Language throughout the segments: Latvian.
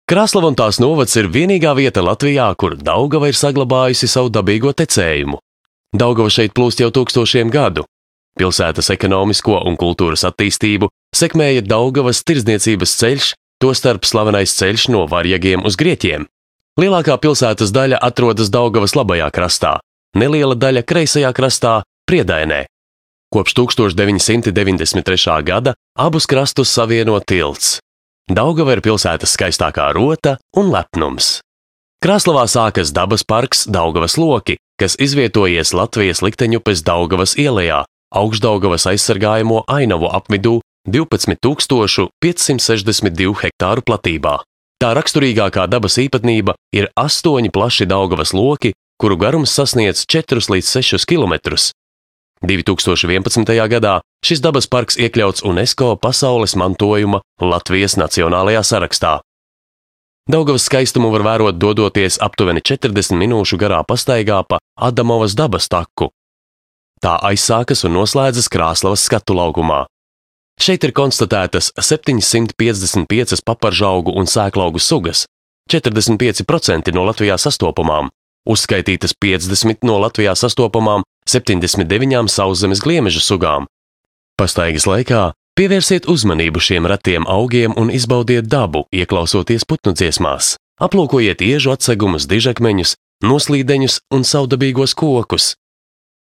Krāslava un tās novads ir vienīgā vieta Latvijā, kur Daugava ir saglabājusi savu dabīgo tecējumu. Daugava šeit plūst jau tūkstošiem gadu. Pilsētas ekonomisko un kultūras attīstību sekmēja Daugavas tirdzniecības ceļš, tostarp slavenais ceļš no Varjagiem uz Grieķiem. Lielākā pilsētas daļa atrodas Daugavas labajā krastā, neliela daļa kreisajā krastā, Priedainē. Kopš 1993. gada abus krastus savieno tilts. Daugava ir pilsētas skaistākā rota un lepnums. Krāslavā sākas dabas parks Daugavas loki, kas izvietojies Latvijas likteņupes Daugavas ielejā, Augšdaugavas aizsargājamo ainavu apvidū 12,562 hektāru platībā. Tā raksturīgākā dabas īpatnība ir 8 plaši Daugavas loki, kuru garums sasniedz 4 līdz 6 kilometrus. 2011. gadā šis dabas parks iekļauts UNESCO pasaules mantojuma Latvijas nacionālajā sarakstā. Daugavas skaistumu var vērot dodoties aptuveni 40 minūšu garā pastaigā pa Adamovas dabas taku. Tā aizsākas un noslēdzas Krāslavas skatu laukumā. Šeit ir konstatētas 755 paparžaugu un sēklaugu sugas, 45% no Latvijā sastopamām, uzskaitītas 50 no Latvijā sastopamām 79 sauszemes gliemežu sugām. Pastaigas laikā pievērsiet uzmanību šiem retiem augiem un izbaudiet dabu, ieklausoties putnu dziesmās. Aplūkojiet iežu atsegumus, dižakmeņus, noslīdeņus un savdabīgos kokus.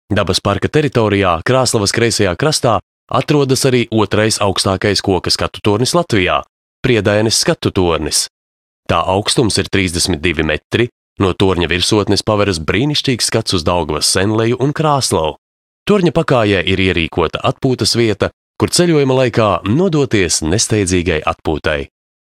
Dabas parka teritorijā, Krāslavas kreisajā krastā, atrodas arī otrais augstākais koka skatu tornis Latvijā – Priedaines skatu tornis. Tā augstums ir 32 metri, no torņa virsotnes paveras brīnišķīgs skats uz Daugavas senleju un Krāslavu. Torņa pakājē ir ierīkota atpūtas vieta, kur ceļojuma laikā nodoties nesteidzīgai atpūtai.